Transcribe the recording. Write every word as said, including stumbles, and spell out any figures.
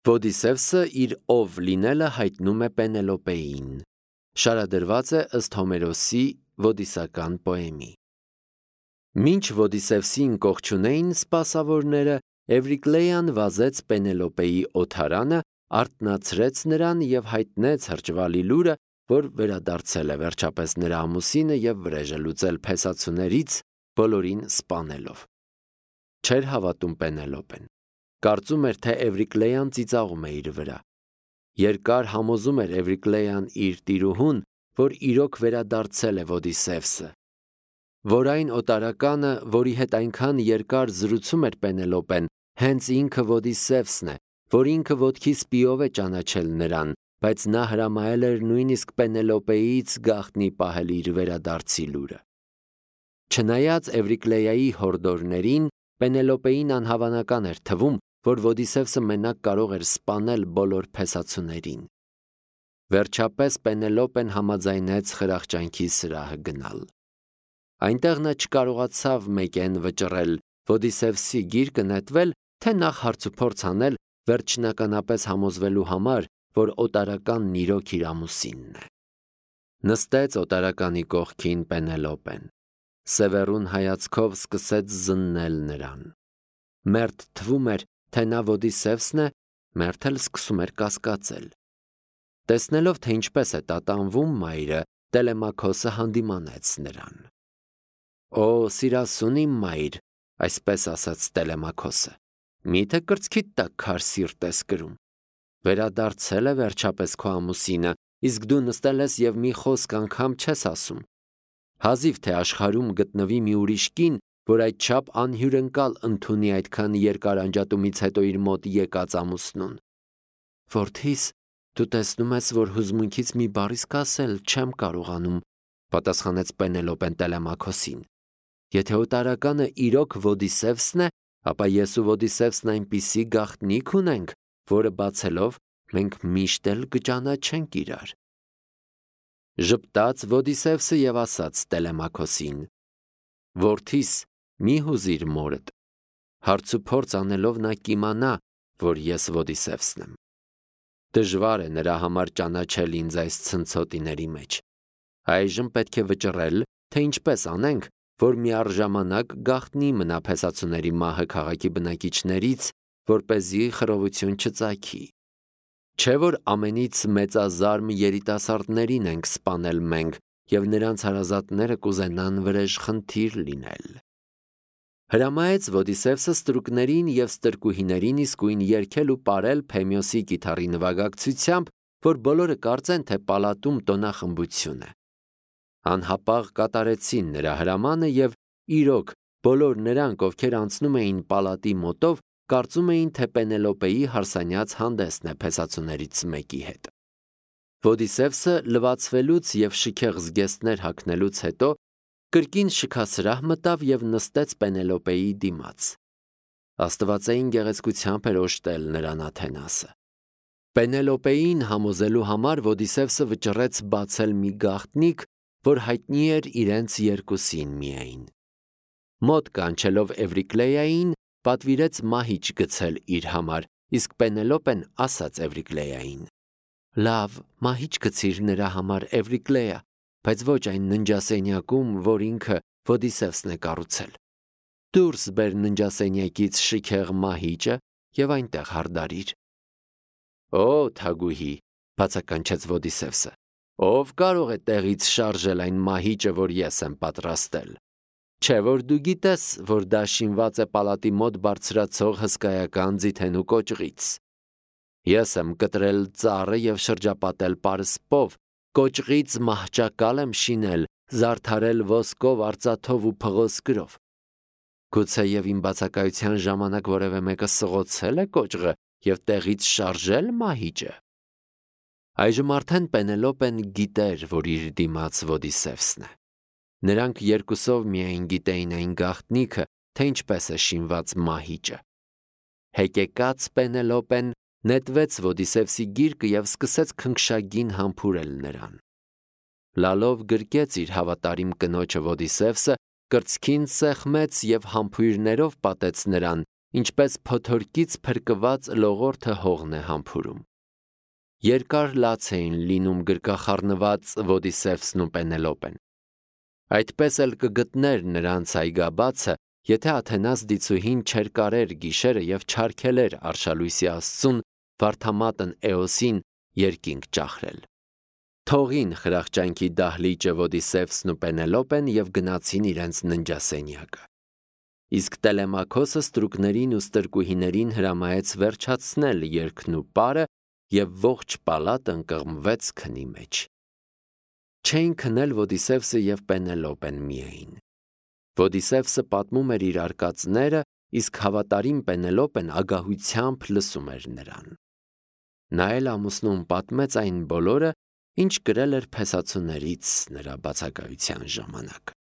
Ոդիսևսը իր ով լինելը հայտնում է Պենելոպեին։ Շարադրված է ըստ Հոմերոսի ոդիսական պոեմի։ Մինչ Ոդիսևսին կողջունեին սպասավորները, Էվրիկլեյան վազեց Պենելոպեի օթարանը, արթնացրեց նրան և հայտնեց հրճվալի լուրը, որ վերադարձել է վերջապես նրա ամուսինը և վրեժ է լուծել փեսացուներից, բոլորին սպանելով։ Չէր հավատում Պենելոպեն։ Կարծում էր, թե Էվրիկլեյան ծիծաղում է իր վրա։ Երկար համոզում էր Էվրիկլեյան իր տիրուհուն, որ իրոք վերադարձել է Ոդիսևսը, որ այն օտարականը, որի հետ այնքան երկար զրուցում էր Պենելոպեն, հենց ինքը Ոդիսևսն է, որ ինքը ոտքի սպիով է ճանաչել նրան, բայց նա հրամայել էր նույնիսկ Պենելոպեից գաղտնի պահել իր վերադարձի լուրը։ Չնայած Էվրիկլեայի հորդորներին, Պենելոպեին անհավանական էր թվում, որ Ոդիսևսը մենակ կարող էր սպանել բոլոր փեսացուներին։ Վերջապես Պենելոպեն համաձայնեց խրախճանքի սրահը գնալ։ Այնտեղ նա չկարողացավ մեկեն վճռել, Ոդիսևսի գիրկը նետվել, թե նախ հարցուփորձ անել, վերջնականապես համոզվելու համար, որ օտարականն իրոք իր ամուսինն է։ Նստեց օտարականի կողքին Պենելոպեն։ Սևեռուն հայացքով սկսեց զննել նրան։ Մերթ թվում էր, թե նա Ոդիսևսն է, մերթ էլ սկսում էր կասկածել։ Տեսնելով, թե ինչպես է տատանվում մայրը, Տելեմաքոսը հանդիմանեց նրան։ Օ, սիրասուն իմ մայր, այսպես ասաց Տելեմաքոսը, միթե կրծքիդ տակ քար սիրտ ես կրում։ Վերադարձել է վերջապես քո ամուսինը, իսկ դու նստել ես և մի խոսք անգամ չես ասում։ Հազիվ թե աշխարհում գտնվի մի ուրիշ կին, որ այդչափ անհյուրընկալ ընդունի այդքան երկար անջատումից հետո իր մոտ եկած ամուսնուն։ Որդիս, դու տեսնում ես, որ հուզմունքից մի բառ իսկ ասել չեմ կարողանում, պատասխանեց Պենելոպեն Տելեմաքոսին։ Եթե օտարականը իրոք Ոդիսևսն է, ապա ես ու Ոդիսևսն այնպիսի գաղտնիք ունենք, որը բացելով մենք միշտ էլ կճանաչենք իրար։ Ժպտաց Ոդիսևսը և ասաց Տելեմաքոսին. Որդիս, մի հուզիր մորդ։ Հարցուփորձ անելով նա կիմանա, որ ես Ոդիսևսն եմ։ Դժվար է նրա համար ճանաչել ինձ այս ցնցոտիների մեջ։ Այժմ պետք է վճռել, թե ինչպես անենք, որ միառժամանակ գաղտնի մնա փեսացուների մահը քաղաքի բնակիչներից, որպեսզի խռովություն չծագի։ Չէ՞ որ ամենից մեծազարմ երիտասարդներին ենք սպանել մենք, և նրանց հարազատները կուզենան վրեժխնդիր լինել։ Հրամայեց Ոդիսևսը ստրուկներին և ստրկուհիներին իսկույն երգել ու պարել Փեմիոսի կիթառի նվագակցությամբ, որ բոլորը կարծեն, թե պալատում տոնախմբություն է։ Անհապաղ կատարեցին նրա հրամանը և իրոք բոլոր նրանք, ովքեր անցնում էին պալատի մոտով, կարծում էին, թե Պենելոպեի հարսանյաց հանդեսն է փեսացուներից մեկի հետ։ Ոդիսևսը լվացվելուց և շքեղ զգեստներ հագնելուց հետո կրկին շքասրահ մտավ և նստեց Պենելոպեի դիմաց։ Աստվածային գեղեցկությամբ էր օժտել նրան Աթենասը։ Պենելոպեին համոզելու համար Ոդիսևսը վճռեց բացել մի գաղտնիք, որ հայտնի էր իրենց երկուսին միայն։ Մոտ կանչելով Էվրիկլեային, պատվիրեց մահիճ գցել իր համար, իսկ Պենելոպեն ասաց Էվրիկլեային. Լավ, մահիճ գցիր նրա համար, Էվրիկլեա, բայց ոչ այն ննջասենյակում, որ ինքը Ոդիսևսն է կառուցել։ Դուրս բեր ննջասենյակից շքեղ մահիճը և այնտեղ հարդարիր։ Օ, թագուհի, բացականչեց Ոդիսևսը, ով կարող է տեղից շարժել այն մահիճը, որ ես եմ պատրաստել։ Չէ՞ որ դու գիտես, որ դա շինված է պալատի մոտ բարձրացող հսկայական ձիթենու կոճղից։ Ես եմ կտրել ծառը և շրջապատել պարսպով, կոճղից մահճակալ եմ շինել, զարդարել ոսկով, արծաթով ու փղոսկրով։ Գուցեև իմ բացակայության ժամանակ որևէ մեկը սղոցել է կոճղը և տեղից շարժել մահիճը։ Այժմ արդեն Պենելոպեն գիտեր, որ իր դիմաց Ոդիսևսն է։ Նրանք երկուսով միայն գիտեին այն գաղտնիքը, թե ինչպես է շինված մահիճը։ Հեկեկած Պենելոպեն նետվեց Ոդիսևսի գիրկը և սկսեց քնքշագին համբուրել նրան։ Լալով գրկեց իր հավատարիմ կնոջը Ոդիսևսը, կրծքին սեղմեց և համբույրներով պատեց նրան, ինչպես փոթորկից փրկված լողորդը հողն է համբուրում։ Երկար լաց էին լինում գրկախառնված Ոդիսևսն ու Պենելոպեն։ Այդպես էլ կգտներ նրանց այգաբացը, եթե Աթենաս դիցուհին չէր կարեր գիշերը և չարգելեր արշալույսի աստծուն վարդամատն Էոսին երկինք ճախրել։ Թողին խրախճանքի դահլիճը Ոդիսևսն ու Պենելոպեն և գնացին իրենց ննջասենյակը։ Իսկ Տելեմաքոսը ստրուկներին ու ստրկուհիներին հրամայեց վերջացնել երգն ու պարը և ողջ պալատն կղմվեց քնի մեջ։ Չէին քնել Ոդիսևսը և Պենելոպեն միայն։ Ոդիսևսը պատմում էր իր արկածները, իսկ հավատարիմ Պենելոպեն ագահությամբ լսում էր նրան։ Նա էլ ամուսնուն պատմեց այն բոլորը, ինչ կրել էր փեսացուներից նրա բացակայության ժամանակ։